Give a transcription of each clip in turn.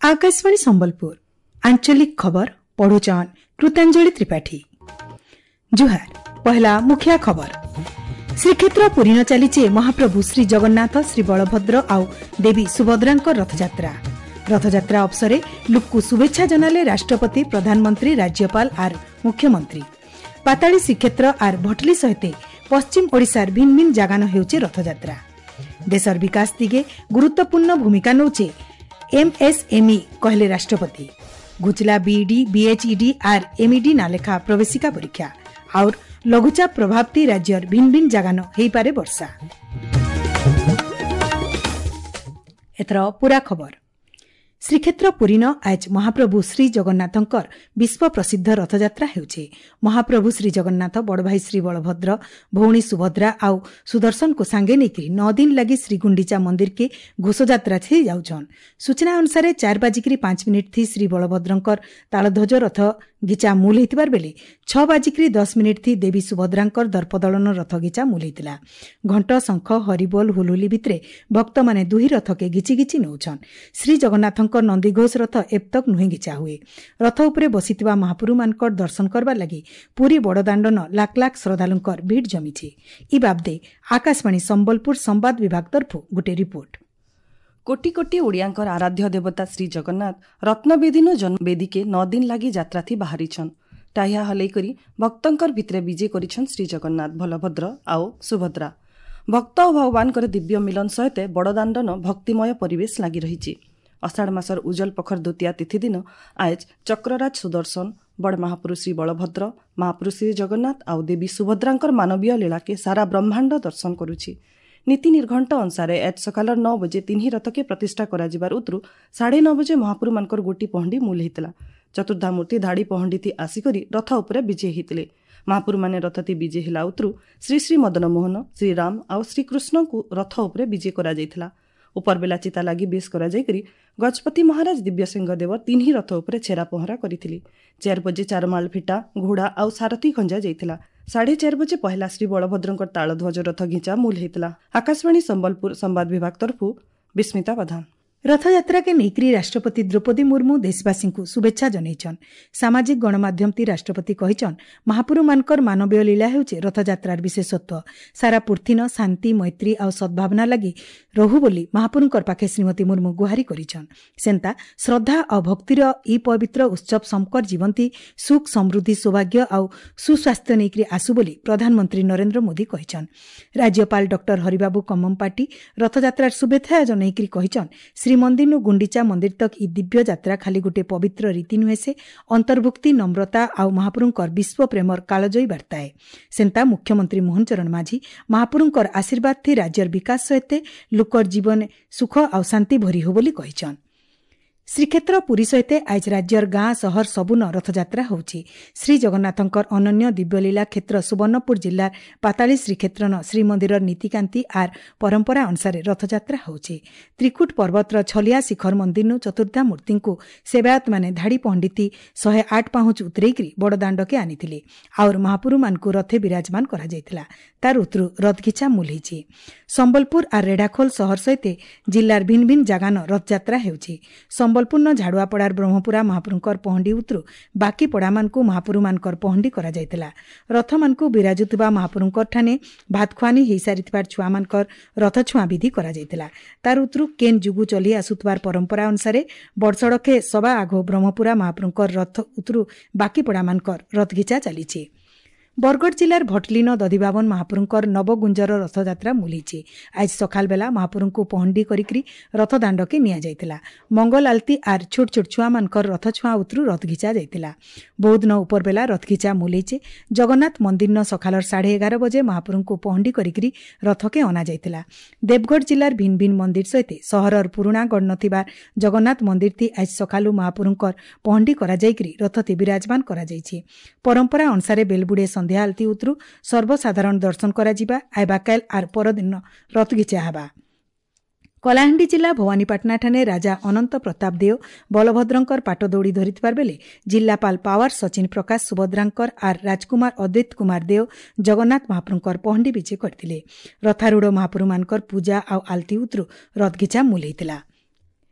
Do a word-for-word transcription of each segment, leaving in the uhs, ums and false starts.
ଆକାଶବାଣୀ ସମ୍ବଲପୁର ଆଞ୍ଚଳିକ ଖବର ପଢୁଛନ୍ କୃତାଞ୍ଜଳି ତ୍ରିପାଠୀ। ଜୁହାର। ପହଲା ମୁଖିଆ ଖବର। ଶ୍ରୀକ୍ଷେତ୍ର ପୁରୀନ ଚାଲିଛି ମହାପ୍ରଭୁ ଶ୍ରୀ ଜଗନ୍ନାଥ, ଶ୍ରୀ ବଳଭଦ୍ର ଆଉ ଦେବୀ ସୁଭଦ୍ରାଙ୍କ ରଥଯାତ୍ରା। ରଥଯାତ୍ରା ଅବସରେ ଲୁକ୍କୁ ଶୁଭେଚ୍ଛା ଜଣାଲେ ରାଷ୍ଟ୍ରପତି, ପ୍ରଧାନମନ୍ତ୍ରୀ, ରାଜ୍ୟପାଳ ଆର୍ ମୁଖ୍ୟମନ୍ତ୍ରୀ। ପାତାଳୀ ଶ୍ରୀକ୍ଷେତ୍ର ଆର୍ ଭଟଲି ସହିତ ପଶ୍ଚିମ ଓଡ଼ିଶାର ଭିନ୍ନ ଭିନ୍ନ ଜାଗାନ ହେଉଛି ରଥଯାତ୍ରା। ଦେଶର ବିକାଶ ଦିଗେ ଗୁରୁତ୍ୱପୂର୍ଣ୍ଣ ଭୂମିକା ନେଉଛି ଏମ୍ଏସ୍ଏମ୍ଇ କହିଲେ ରାଷ୍ଟ୍ରପତି। ଘୁଚଲା ବିଇଡି, ବିଏଚ୍ଇଡି ଆର୍ ଏମ୍ଇଡି ନାଲେଖା ପ୍ରବେଶିକା ପରୀକ୍ଷା। ଆଉର ଲଘୁଚାପ ପ୍ରଭାବତି ରାଜ୍ୟର ଭିନ୍ନ ଭିନ୍ନ ଜାଗାନ ହେଇପାରେ ବର୍ଷା। ଏଥର ପୁରା ଖବର। ଶ୍ରୀକ୍ଷେତ୍ର ପୁରୀନ ଆଜ ମହାପ୍ରଭୁ ଶ୍ରୀ ଜଗନ୍ନାଥଙ୍କର ବିଶ୍ୱ ପ୍ରସିଦ୍ଧ ରଥଯାତ୍ରା ହେଉଛି। ମହାପ୍ରଭୁ ଶ୍ରୀ ଜଗନ୍ନାଥ, ବଡ଼ଭାଇ ଶ୍ରୀ ବଳଭଦ୍ର, ଭଉଣୀ ସୁଭଦ୍ରା ଆଉ ସୁଦର୍ଶନକୁ ସାଙ୍ଗେ ନେଇକରି ନଅ ଦିନ ଲାଗି ଶ୍ରୀଗୁଣ୍ଡିଚା ମନ୍ଦିରକେ ଘୋଷଯାତ୍ରା ଥି ଯାଉଛନ୍। ସୂଚନା ଅନୁସାରେ ଚାରି ବାଜିକିରି ପାଞ୍ଚ ମିନିଟ୍ ଥି ଶ୍ରୀ ବଳଭଦ୍ରଙ୍କର ତାଳଧ୍ୱଜ ରଥ ଘିଚା ମୂଲ ହେଇଥିବାର ବେଲେ ଛଅ ବାଜିକିରି ଦଶ ମିନିଟ୍ ଥି ଦେବୀ ସୁଭଦ୍ରାଙ୍କର ଦର୍ପଦଳନ ରଥ ଘିଚା ମୂଲ ହେଇଥିଲା। ଘଣ୍ଟ, ଶଙ୍ଖ, ହରିବୋଲ, ହୁଲୁଲି ଭିତରେ ଭକ୍ତମାନେ ଦୁହି ରଥକେ ଘିଚି ଘିଚି ନେଉଛନ୍। ଶ୍ରୀ ଜଗନ୍ନାଥଙ୍କ ନନ୍ଦିଘୋଷ ରଥ ଏପ୍ତକ ନୁହେଁ ଘିଚା ହୁଏ। ରଥ ଉପରେ ବସିଥିବା ମହାପୁରୁମାନଙ୍କର ଦର୍ଶନ କରବାର ଲାଗି ପୁରୀ ବଡ଼ଦାଣ୍ଡନ ଲାଖ ଲାଖ ଶ୍ରଦ୍ଧାଳୁଙ୍କର ଭିଡ଼ ଜମିଛି। ଇ ବାବଦେ ଆକାଶବାଣୀ ସମ୍ବଲପୁର ସମ୍ବାଦ ବିଭାଗ ତରଫରୁ ଗୋଟେ ରିପୋର୍ଟ। କୋଟି କୋଟି ଓଡ଼ିଆଙ୍କର ଆରାଧ୍ୟ ଦେବତା ଶ୍ରୀ ଜଗନ୍ନାଥ ରତ୍ନବେଦୀନୁ ଜନ୍ମବେଦୀକେ ନଅ ଦିନ ଲାଗି ଯାତ୍ରାଥି ବାହାରିଛନ୍। ଟାହିଆ ହଲେଇ କରି ଭକ୍ତଙ୍କର ଭିତରେ ବିଜେ କରିଛନ୍ ଶ୍ରୀ ଜଗନ୍ନାଥ, ବଳଭଦ୍ର ଆଉ ସୁଭଦ୍ରା। ଭକ୍ତ ଆଉ ଭଗବାନଙ୍କର ଦିବ୍ୟ ମିଲନ ସହିତ ବଡ଼ଦାଣ୍ଡନ ଭକ୍ତିମୟ ପରିବେଶ ଲାଗି ରହିଛି। ଅଷାଢ଼ ମାସର ଉଜଲ ପଖର ଦ୍ୱିତୀୟା ତିଥି ଦିନ ଆଏଜ ଚକ୍ରରାଜ ସୁଦର୍ଶନ, ବଡ଼ ମହାପୁରୁ ଶ୍ରୀ ବଳଭଦ୍ର, ମହାପୁରୁ ଶ୍ରୀ ଜଗନ୍ନାଥ ଆଉ ଦେବୀ ସୁଭଦ୍ରାଙ୍କର ମାନବୀୟ ଲୀଳାକେ ସାରା ବ୍ରହ୍ମାଣ୍ଡ ଦର୍ଶନ କରୁଛି। ନୀତି ନିର୍ଘଣ୍ଟ ଅନୁସାରେ ଆଜ ସକାଳ ନଅ ବଜେ ତିନି ରଥକେ ପ୍ରତିଷ୍ଠା କରାଯିବାର ଉତରୁ ସାଢ଼େ ନଅ ବଜେ ମହାପୁରୁମାନଙ୍କର ଗୋଟି ପହଣ୍ଡି ମୂଲ ହେଇଥିଲା। ଚତୁର୍ଦ୍ଧାମୂର୍ତ୍ତି ଧାଡ଼ି ପହଣ୍ଡିଥି ଆସିକରି ରଥ ଉପରେ ବିଜେ ହେଇଥିଲେ। ମହାପୁରୁମାନେ ରଥତି ବିଜେ ହେଲା ଉତରୁ ଶ୍ରୀ ଶ୍ରୀ ମଦନମୋହନ, ଶ୍ରୀରାମ ଆଉ ଶ୍ରୀକୃଷ୍ଣଙ୍କୁ ରଥ ଉପରେ ବିଜେ କରାଯାଇଥିଲା। ଉପରବେଲା ଚିତା ଲାଗି ବେଶ କରାଯାଇକରି ଗଜପତି ମହାରାଜ ଦିବ୍ୟସିଂହ ଦେବ ତିନି ରଥ ଉପରେ ଛେରା ପହଁରା କରିଥିଲେ। ଚାରି ବଜେ ଚାରମାଳ ଫିଟା, ଘୋଡ଼ା ଆଉ ସାରଥୀ ଖଞ୍ଜା ଯାଇଥିଲା। ସାଢ଼େ ଚାରି ବଜେ ପହିଲା ଶ୍ରୀ ବଳଭଦ୍ରଙ୍କର ତାଳଧ୍ୱଜ ରଥ ଘିଚା ମୂଲ ହେଇଥିଲା। ଆକାଶବାଣୀ ସମ୍ବଲପୁର ସମ୍ବାଦ ବିଭାଗ ତରଫରୁ ବିସ୍ମିତା ପ୍ରଧାନ। ରଥଯାତ୍ରାକେ ନେଇକରି ରାଷ୍ଟ୍ରପତି ଦ୍ରୌପଦୀ ମୁର୍ମୁ ଦେଶବାସୀଙ୍କୁ ଶୁଭେଚ୍ଛା ଜଣାଇଛନ୍। ସାମାଜିକ ଗଣମାଧ୍ୟମତି ରାଷ୍ଟ୍ରପତି କହିଛନ୍, ମହାପୁରୁମାନଙ୍କର ମାନବୀୟ ଲୀଳା ହେଉଛି ରଥଯାତ୍ରାର ବିଶେଷତ୍ୱ। ସାରା ପୃଥିନ ଶାନ୍ତି, ମୈତ୍ରୀ ଆଉ ସଦ୍ଭାବନା ଲାଗି ରହୁ ବୋଲି ମହାପୁରୁଙ୍କର ପାଖେ ଶ୍ରୀମତୀ ମୁର୍ମୁ ଗୁହାରି କରିଛନ୍। ସେନ୍ତା ଶ୍ରଦ୍ଧା ଆଉ ଭକ୍ତିର ଇ ପବିତ୍ର ଉତ୍ସବ ସମକର ଜୀବନ୍ତୀ ସୁଖ, ସମୃଦ୍ଧି, ସୌଭାଗ୍ୟ ଆଉ ସୁସ୍ୱାସ୍ଥ୍ୟ ନେଇକରି ଆସୁ ବୋଲି ପ୍ରଧାନମନ୍ତ୍ରୀ ନରେନ୍ଦ୍ର ମୋଦି କହିଛନ୍। ରାଜ୍ୟପାଳ ଡକ୍ଟର ହରିବାବୁ କମ୍ମମପାଟି ରଥଯାତ୍ରାର ଶୁଭେଚ୍ଛା ଜଣାଇକରି କହିଛନ୍, ଶ୍ରୀମନ୍ଦିରନୁ ଗୁଣ୍ଡିଚା ମନ୍ଦିର ତକ୍ ଇ ଦିବ୍ୟ ଯାତ୍ରା ଖାଲି ଗୋଟିଏ ପବିତ୍ର ରୀତି ନୁହେଁ, ସେ ଅନ୍ତର୍ଭୁକ୍ତି, ନମ୍ରତା ଆଉ ମହାପୁରୁଙ୍କର ବିଶ୍ୱ ପ୍ରେମର କାଳଜୟୀ ବାର୍ତ୍ତାଏ। ସେନ୍ତା ମୁଖ୍ୟମନ୍ତ୍ରୀ ମୋହନ ଚରଣ ମାଝୀ ମହାପୁରୁଙ୍କର ଆଶୀର୍ବାଦ ଥି ରାଜ୍ୟର ବିକାଶ ସହିତ ଲୋକର ଜୀବନ ସୁଖ ଆଉ ଶାନ୍ତି ଭରି ହୋ ବୋଲି କହିଛନ୍। ଶ୍ରୀକ୍ଷେତ୍ର ପୁରୀ ସହିତ ଆଜ ରାଜ୍ୟର ଗାଁ ସହର ସବୁନ ରଥଯାତ୍ରା ହେଉଛି। ଶ୍ରୀ ଜଗନ୍ନାଥଙ୍କର ଅନନ୍ୟ ଦିବ୍ୟଲୀଳା କ୍ଷେତ୍ର ସୁବର୍ଣ୍ଣପୁର ଜିଲ୍ଲାର ପାତାଳୀ ଶ୍ରୀକ୍ଷେତ୍ରନ ଶ୍ରୀମନ୍ଦିରର ନୀତିକାନ୍ତି ଆର୍ ପରମ୍ପରା ଅନୁସାରେ ରଥଯାତ୍ରା ହେଉଛି। ତ୍ରିକୁଟ ପର୍ବତର ଛଲିଆ ଶିଖର ମନ୍ଦିରନୁ ଚତୁର୍ଦ୍ଧା ମୂର୍ତ୍ତିଙ୍କୁ ସେବାୟତମାନେ ଧାଡ଼ି ପଣ୍ଡିତି ଶହେ ଆଠ ପାହୁଁଚ ଉତରେଇକରି ବଡ଼ଦାଣ୍ଡକେ ଆଣିଥିଲେ। ଆଉର ମହାପୁରୁମାନଙ୍କୁ ରଥେ ବିରାଜମାନ କରାଯାଇଥିଲା। ତାର ଉତରୁ ରଥଘିଚା ମୂଲ ହେଇଛି। ସମ୍ବଲପୁର ଆର୍ ରେଢ଼ାଖୋଲ ସହର ସହିତ ଜିଲ୍ଲାର ଭିନ୍ନ ଭିନ୍ନ ଜାଗାନ ରଥଯାତ୍ରା ହେଉଛି। ସମ୍ବଲପୁରନ ଝାଡ଼ୁଆପଡ଼ାର ବ୍ରହ୍ମପୁରା ମହାପୁରୁଙ୍କର ପହଣ୍ଡି ଉତରୁ ବାକି ପଡ଼ାମାନଙ୍କୁ ମହାପୁରୁମାନଙ୍କର ପହଣ୍ଡି କରାଯାଇଥିଲା। ରଥମାନଙ୍କୁ ବିରାଜୁଥିବା ମହାପୁରୁଙ୍କର ଠାନେ ଭାତଖୁଆନି ହେଇସାରିଥିବାର ଛୁଆମାନଙ୍କର ରଥଛୁଆଁ ବିଧି କରାଯାଇଥିଲା। ତାର ଉତରୁ କେନ୍ ଯୁଗୁ ଚଲି ଆସୁଥିବାର ପରମ୍ପରା ଅନୁସାରେ ବଡ଼ସଡ଼କେ ସବା ଆଘ ବ୍ରହ୍ମପୁରା ମହାପୁରୁଙ୍କର ରଥ ଉତରୁ ବାକି ପଡ଼ାମାନଙ୍କର ରଥଘିଚା ଚାଲିଛି। ବରଗଡ଼ ଜିଲ୍ଲାର ଭଟଲିନ ଦଧିବାବନ ମହାପୁରୁଙ୍କର ନବଗୁଞ୍ଜର ରଥଯାତ୍ରା ମୁଲିଛି। ଆଜି ସକାଳ ବେଲା ମହାପୁରୁଙ୍କୁ ପହଣ୍ଡି କରିକରି ରଥ ଦାଣ୍ଡକେ ନିଆଯାଇଥିଲା। ମଙ୍ଗଲ ଆଳତି ଆର୍ ଛୋଟ ଛୋଟ ଛୁଆମାନଙ୍କର ରଥ ଛୁଆଁ ଉତରୁ ରଥ ଘିଚା ଯାଇଥିଲା। ବୌଦ୍ଧନ ଉପର ବେଲା ରଥ ଘିଚା ମୁଲେଇছে। ଜଗନ୍ନାଥ ମନ୍ଦିରନ ସକାଳର ସାଢ଼େ ଏଗାର ବଜେ ମହାପୁରୁଙ୍କୁ ପହଣ୍ଡି କରିକରି ରଥକେ ଅଣାଯାଇଥିଲା। ଦେବଗଡ଼ ଜିଲ୍ଲାର ଭିନ୍ନ ଭିନ୍ନ ମନ୍ଦିର ସହିତ ସହରର ପୁରୁଣା ଗଡ଼ ଥିବା ଜଗନ୍ନାଥ ମନ୍ଦିର ଥି ଆଜି ସକାଳୁ ମହାପୁରୁଙ୍କର ପହଣ୍ଡି କରାଯାଇକରି ରଥତି ବିରାଜମାନ କରାଯାଇଛି। ପରମ୍ପରା ଅନୁସାରେ ବେଲବୁଡ଼େ ସନ୍ଧ୍ୟା ଆଳତି ଉତରୁ ସର୍ବସାଧାରଣ ଦର୍ଶନ କରାଯିବା। ଆଇବାକାଇଲ ଆର୍ ପରଦିନ ରଥଘିଚା ହେବା। କଳାହାଣ୍ଡି ଜିଲ୍ଲା ଭବାନୀପାଟଣାଠାରେ ରାଜା ଅନନ୍ତ ପ୍ରତାପ ଦେଓ ବଳଭଦ୍ରଙ୍କର ପାଟ ଦୌଡ଼ି ଧରିଥିବାର ବେଳେ ଜିଲ୍ଲାପାଳ ପାୱାର ସଚିନ ପ୍ରକାଶ ସୁଭଦ୍ରାଙ୍କର ଆର୍ ରାଜକୁମାର ଅଦ୍ୱୈତ କୁମାର ଦେଓ ଜଗନ୍ନାଥ ମହାପ୍ରଭୁଙ୍କର ପହଣ୍ଡି ବିଜେ କରିଥିଲେ। ରଥାରୂଢ଼ ମହାପ୍ରଭୁମାନଙ୍କର ପୂଜା ଆଉ ଆଳତି ଉତରୁ ରଥଘିଚା ମୂଲ ହେଇଥିଲା।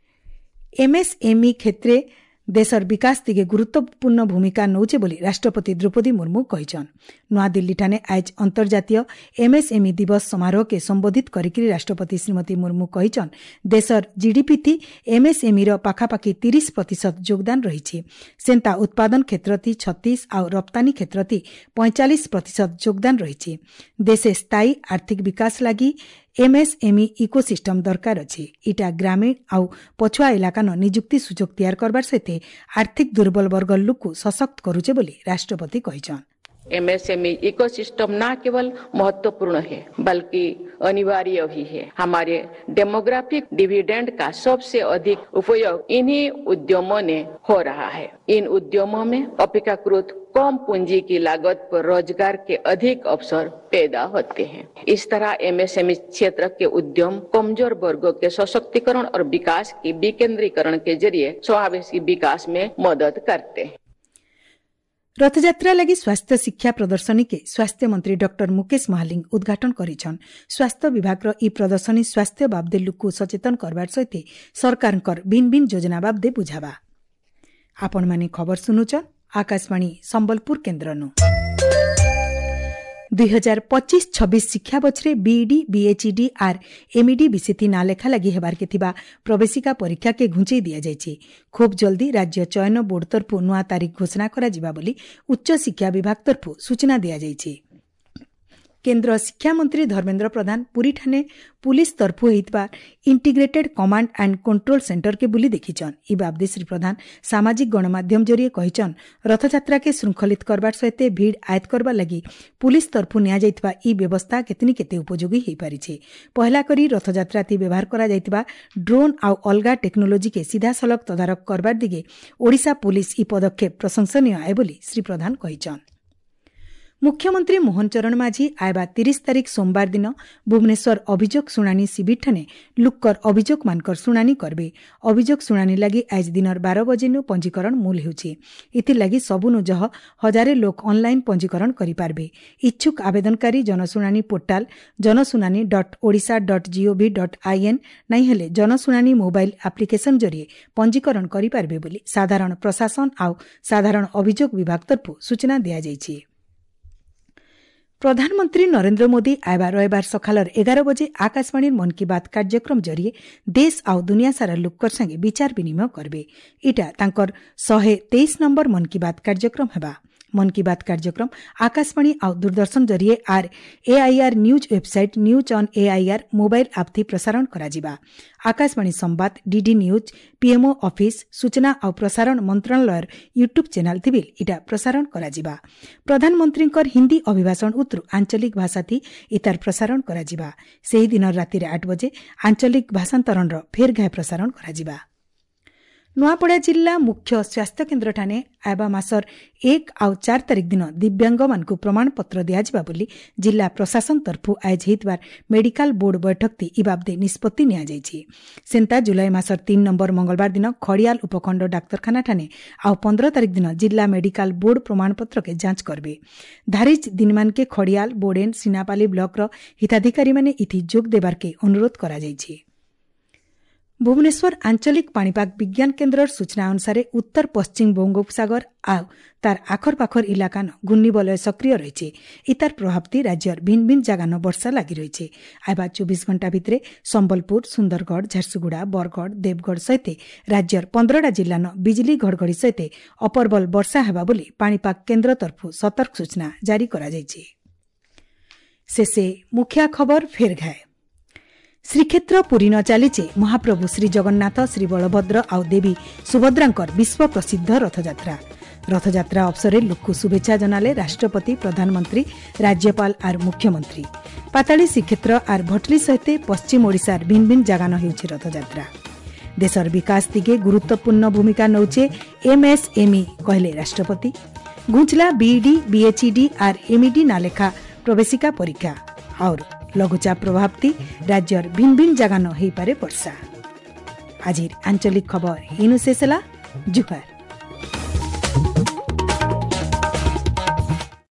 ଏମ୍ଏସ୍ଏମ୍ଇ କ୍ଷେତ୍ରେ ଦେଶର ବିକାଶ ଦିଗେ ଗୁରୁତ୍ୱପୂର୍ଣ୍ଣ ଭୂମିକା ନଉଛେ ବୋଲି ରାଷ୍ଟ୍ରପତି ଦ୍ରୌପଦୀ ମୁର୍ମୁ କହିଛନ୍। ନୂଆଦିଲ୍ଲୀଠାନେ ଆଏଜ୍ ଅନ୍ତର୍ଜାତୀୟ ଏମ୍ଏସ୍ଏମ୍ଇ ଦିବସ ସମାରୋହକେ ସମ୍ବୋଧିତ କରିକି ରାଷ୍ଟ୍ରପତି ଶ୍ରୀମତୀ ମୁର୍ମୁ କହିଛନ୍, ଦେଶର ଜିଡିପି ଥି ଏମ୍ଏସ୍ଏମ୍ଇର ପାଖାପାଖି ତିରିଶ ପ୍ରତିଶତ ଯୋଗଦାନ ରହିଛି। ସେନ୍ତା ଉତ୍ପାଦନ କ୍ଷେତ୍ରଥି ଛତିଶ ଆଉ ରପ୍ତାନୀ କ୍ଷେତ୍ରଥି ପଇଁଚାଳିଶ ପ୍ରତିଶତ ଯୋଗଦାନ ରହିଛି। ଦେଶେ ସ୍ଥାୟୀ ଆର୍ଥିକ ବିକାଶ ଲାଗି ଏମ୍ଏସ୍ଏମ୍ଇ ଇକୋସିଷ୍ଟମ ଦରକାର ଅଛି। ଇଟା ଗ୍ରାମୀଣ ଆଉ ପଛୁଆ ଇଲାକାନ ନିଯୁକ୍ତି ସୁଯୋଗ ତିଆର କରବାର ସହିତ ଆର୍ଥିକ ଦୁର୍ବଳ ବର୍ଗର ଲୋକକୁ ସଶକ୍ତ କରୁଛେ ବୋଲି ରାଷ୍ଟ୍ରପତି କହିଛନ୍। एमएसएमई इकोसिस्टम न केवल महत्वपूर्ण है बल्कि अनिवार्य भी है। हमारे डेमोग्राफिक डिविडेंड का सबसे अधिक उपयोग इन्हीं उद्यमों ने हो रहा है। इन उद्यमों में अपेक्षाकृत कम पूंजी की लागत पर रोजगार के अधिक अवसर पैदा होते हैं। इस तरह एमएसएमई क्षेत्र के उद्यम कमजोर वर्गों के सशक्तिकरण और विकास की विकेंद्रीकरण के जरिए समावेशी विकास में मदद करते हैं। ରଥଯାତ୍ରା ଲାଗି ସ୍ୱାସ୍ଥ୍ୟ ଶିକ୍ଷା ପ୍ରଦର୍ଶନୀକେ ସ୍ୱାସ୍ଥ୍ୟମନ୍ତ୍ରୀ ଡକ୍ଟର ମୁକେଶ ମହାଲିଙ୍ଗ ଉଦ୍ଘାଟନ କରିଛନ୍। ସ୍ୱାସ୍ଥ୍ୟ ବିଭାଗର ଇ ପ୍ରଦର୍ଶନୀ ସ୍ୱାସ୍ଥ୍ୟ ବାବଦେ ଲୋକକୁ ସଚେତନ କରବାର ସହିତ ସରକାରଙ୍କର ଭିନ୍ନ ଭିନ୍ନ ଯୋଜନା ବାବଦେ ବୁଝାବା। ଆପଣମାନେ ଖବର ଶୁଣୁଛନ୍ ଆକାଶବାଣୀ ସମ୍ବଲପୁର କେନ୍ଦ୍ରନୁ। ଦୁଇ ହଜାର ପଚିଶ ଛବିଶ ଶିକ୍ଷାବର୍ଷରେ ବିଇଡି, ବିଏଚ୍ଇଡି ଆର୍ ଏମ୍ଇଡି ବିସିଥି ନାଁ ଲେଖା ଲାଗି ହେବାର୍କେ ଥିବା ପ୍ରବେଶିକା ପରୀକ୍ଷାକେ ଘୁଞ୍ଚେଇ ଦିଆଯାଇଛି। ଖୁବ୍ ଜଲ୍ଦି ରାଜ୍ୟ ଚୟନ ବୋର୍ଡ ତରଫୁ ନୂଆ ତାରିଖ ଘୋଷଣା କରାଯିବା ବୋଲି ଉଚ୍ଚଶିକ୍ଷା ବିଭାଗ ତରଫୁ ସୂଚନା ଦିଆଯାଇଛି। କେନ୍ଦ୍ର ଶିକ୍ଷାମନ୍ତ୍ରୀ ଧର୍ମେନ୍ଦ୍ର ପ୍ରଧାନ ପୁରୀଠାନେ ପୁଲିସ୍ ତରଫୁ ହେଇଥିବା ଇଣ୍ଟିଗ୍ରେଟେଡ୍ କମାଣ୍ଡ ଆଣ୍ଡ କଣ୍ଟ୍ରୋଲ ସେଣ୍ଟରକେ ବୁଲି ଦେଖିଛନ୍। ଇ ବାବଦେ ଶ୍ରୀ ପ୍ରଧାନ ସାମାଜିକ ଗଣମାଧ୍ୟମ ଜରିଏ କହିଛନ୍, ରଥଯାତ୍ରାକେ ଶୃଙ୍ଖଳିତ କରବାର ସହିତ ଭିଡ଼ ଆୟତ୍ତ କରବାର ଲାଗି ପୁଲିସ୍ ତରଫୁ ନିଆଯାଇଥିବା ଇ ବ୍ୟବସ୍ଥା କେତେନି କେତେ ଉପଯୋଗୀ ହୋଇପାରିଛି। ପହଲା କରି ରଥଯାତ୍ରାଥି ବ୍ୟବହାର କରାଯାଇଥିବା ଡ୍ରୋନ୍ ଆଉ ଅଲଗା ଟେକ୍ନୋଲୋଜିକେ ସିଧାସଳଖ ତଦାରଖ କରବାର ଦିଗେ ଓଡ଼ିଶା ପୁଲିସ୍ ଇ ପଦକ୍ଷେପ ପ୍ରଶଂସନୀୟ ଆଏ ବୋଲି ଶ୍ରୀ ପ୍ରଧାନ କହିଛନ୍। ମୁଖ୍ୟମନ୍ତ୍ରୀ ମୋହନ ଚରଣ ମାଝୀ ଆଇବା ତିରିଶ ତାରିଖ ସୋମବାର ଦିନ ଭୁବନେଶ୍ୱର ଅଭିଯୋଗ ଶୁଣାଣି ଶିବିରଠାନେ ଲୁକ୍କର ଅଭିଯୋଗମାନଙ୍କର ଶୁଣାଣି କରିବେ। ଅଭିଯୋଗ ଶୁଣାଣି ଲାଗି ଆଜି ଦିନର ବାର ବଜେନୁ ପଞ୍ଜୀକରଣ ମୂଲ ହେଉଛି। ଏଥିଲାଗି ସବୁନୁ ଜହ ହଜାରେ ଲୋକ ଅନ୍ଲାଇନ୍ ପଞ୍ଜୀକରଣ କରିପାରିବେ। ଇଚ୍ଛୁକ ଆବେଦନକାରୀ ଜନଶୁଣାଣି ପୋର୍ଟାଲ ଜନଶୁଣାଣି dot Odisha dot GOV dot IN ନାଇଁ ହେଲେ ଜନଶୁଣାଣି ମୋବାଇଲ ଆପ୍ଲିକେସନ୍ ଜରିଏ ପଞ୍ଜୀକରଣ କରିପାରିବେ ବୋଲି ସାଧାରଣ ପ୍ରଶାସନ ଆଉ ସାଧାରଣ ଅଭିଯୋଗ ବିଭାଗ ତରଫରୁ ସୂଚନା ଦିଆଯାଇଛି। ପ୍ରଧାନମନ୍ତ୍ରୀ ନରେନ୍ଦ୍ର ମୋଦି ଆଇବା ରବିବାର ସକାଳର ଏଗାର ବଜେ ଆକାଶବାଣୀର ମନ୍ କି ବାତ୍ କାର୍ଯ୍ୟକ୍ରମ ଜରିଏ ଦେଶ ଆଉ ଦୁନିଆ ସାରା ଲୋକର ସାଙ୍ଗେ ବିଚାର ବିନିମୟ କରିବେ। ଇଟା ତାଙ୍କର ଶହେ ତେଇଶ ନମ୍ବର ମନ୍ କି ବାତ୍ କାର୍ଯ୍ୟକ୍ରମ ହେବା। ମନ୍ କି ବାତ୍ କାର୍ଯ୍ୟକ୍ରମ ଆକାଶବାଣୀ ଆଉ ଦୂରଦର୍ଶନ ଜରିଏ ଆର୍ AIR news website, news on AIR mobile app ଥି ପ୍ରସାରଣ କରାଯିବା। ଆକାଶବାଣୀ ସମ୍ବାଦ, ଡିଡି ନ୍ୟୁଜ୍, ପିଏମ୍ଓ ଅଫିସ୍, ସୂଚନା ଆଉ ପ୍ରସାରଣ ମନ୍ତ୍ରଣାଳୟର ୟୁଟ୍ୟୁବ୍ ଚ୍ୟାନେଲ୍ ଥି ବିଲ୍ ଇଟା ପ୍ରସାରଣ କରାଯିବା। ପ୍ରଧାନମନ୍ତ୍ରୀଙ୍କର ହିନ୍ଦୀ ଅଭିଭାଷଣ ଉତ୍ତରୁ ଆଞ୍ଚଳିକ ଭାଷାଥି ଇତାର ପ୍ରସାରଣ କରାଯିବା। ସେହି ଦିନ ରାତିରେ ଆଠ ବଜେ ଆଞ୍ଚଳିକ ଭାଷାନ୍ତରଣର ଫେର୍ ଘାଏ ପ୍ରସାରଣ କରାଯିବା। ନୂଆପଡ଼ା ଜିଲ୍ଲା ମୁଖ୍ୟ ସ୍ୱାସ୍ଥ୍ୟକେନ୍ଦ୍ରଠାନେ ଆଇବା ମାସର ଏକ ଆଉ ଚାରି ତାରିଖ ଦିନ ଦିବ୍ୟାଙ୍ଗମାନଙ୍କୁ ପ୍ରମାଣପତ୍ର ଦିଆଯିବା ବୋଲି ଜିଲ୍ଲା ପ୍ରଶାସନ ତରଫରୁ ଆୟୋଜ ହୋଇଥିବା ମେଡିକାଲ ବୋର୍ଡ ବୈଠକଟି ଇ ବାବଦେ ନିଷ୍ପତ୍ତି ନିଆଯାଇଛି। ସେନ୍ତା ଜୁଲାଇ ମାସର ତିନି ନମ୍ବର ମଙ୍ଗଳବାର ଦିନ ଖଡ଼ିଆଲ ଉପଖଣ୍ଡ ଡାକ୍ତରଖାନାଠାନେ ଆଉ ପନ୍ଦର ତାରିଖ ଦିନ ଜିଲ୍ଲା ମେଡିକାଲ ବୋର୍ଡ ପ୍ରମାଣପତ୍ରକେ ଯାଞ୍ଚ କରିବେ। ଧାରିଜ ଦିନମାନକେ ଖଡ଼ିଆଲ, ବୋଡେନ୍, ସିନାପାଲି ବ୍ଲକର ହିତାଧିକାରୀମାନେ ଇଥି ଯୋଗ ଦେବାର୍କେ ଅନୁରୋଧ କରାଯାଇଛି। ଭୁବନେଶ୍ୱର ଆଞ୍ଚଳିକ ପାଣିପାଗ ବିଜ୍ଞାନ କେନ୍ଦ୍ରର ସୂଚନା ଅନୁସାରେ ଉତ୍ତର ପଶ୍ଚିମ ବଙ୍ଗୋପସାଗର ଆଉ ତାର ଆଖରପାଖର ଇଲାକାନ ଘୂର୍ଣ୍ଣିବଳୟ ସକ୍ରିୟ ରହିଛି। ଇତାର ପ୍ରଭାବତି ରାଜ୍ୟର ଭିନ୍ନ ଭିନ୍ନ ଜାଗାନ ବର୍ଷା ଲାଗି ରହିଛି। ଆଇବା ଚବିଶ ଘଣ୍ଟା ଭିତରେ ସମ୍ବଲପୁର, ସୁନ୍ଦରଗଡ଼, ଝାରସୁଗୁଡ଼ା, ବରଗଡ଼, ଦେବଗଡ଼ ସହିତ ରାଜ୍ୟର ପନ୍ଦରଟା ଜିଲ୍ଲାନ ବିଜୁଳି ଘଡ଼ଘଡ଼ି ସହିତ ଅପରବଲ ବର୍ଷା ହେବା ବୋଲି ପାଣିପାଗ କେନ୍ଦ୍ର ତରଫରୁ ସତର୍କ ସୂଚନା ଜାରି କରାଯାଇଛି। ଶେଷେ ମୁଖିଆ ଖବର ଫେର ଘାଏ। ଶ୍ରୀକ୍ଷେତ୍ର ପୁରୀ ନ ଚାଲିছে ମହାପ୍ରଭୁ ଶ୍ରୀଜଗନ୍ନାଥ, ଶ୍ରୀବଳଭଦ୍ର ଆଉ ଦେବୀ ସୁଭଦ୍ରାଙ୍କର ବିଶ୍ୱ ପ୍ରସିଦ୍ଧ ରଥଯାତ୍ରା। ରଥଯାତ୍ରା ଅବସରରେ ଲୋକକୁ ଶୁଭେଚ୍ଛା ଜଣାଲେ ରାଷ୍ଟ୍ରପତି, ପ୍ରଧାନମନ୍ତ୍ରୀ, ରାଜ୍ୟପାଳ ଆର୍ ମୁଖ୍ୟମନ୍ତ୍ରୀ। ପାତାଳୀ ଶ୍ରୀକ୍ଷେତ୍ର ଆର୍ ଭଟଲି ସହିତ ପଶ୍ଚିମ ଓଡ଼ିଶାର ଭିନ୍ନ ଭିନ୍ନ ଜାଗାନ ହେଉଛି ରଥଯାତ୍ରା। ଦେଶର ବିକାଶ ଦିଗେ ଗୁରୁତ୍ୱପୂର୍ଣ୍ଣ ଭୂମିକା ନେଉଛେ ଏମ୍ଏସ୍ଏମ୍ଇ କହିଲେ ରାଷ୍ଟ୍ରପତି। ଘୁଞ୍ଚଲା ବିଇଡି, ବିଏଚ୍ଇଡି ଆର୍ ଏମ୍ଇଡି ନାଲେଖା ପ୍ରବେଶିକା ପରୀକ୍ଷା। ଆଉର ଲଘୁଚାପ ପ୍ରଭାବତି ରାଜ୍ୟର ଭିନ୍ନ ଭିନ୍ନ ଜାଗାନ ହୋଇପାରେ ବର୍ଷା। ଆଜିର ଆଞ୍ଚଳିକ ଖବର ଇନୁ ଶେଷ ହେଲା। ଜୁହାର।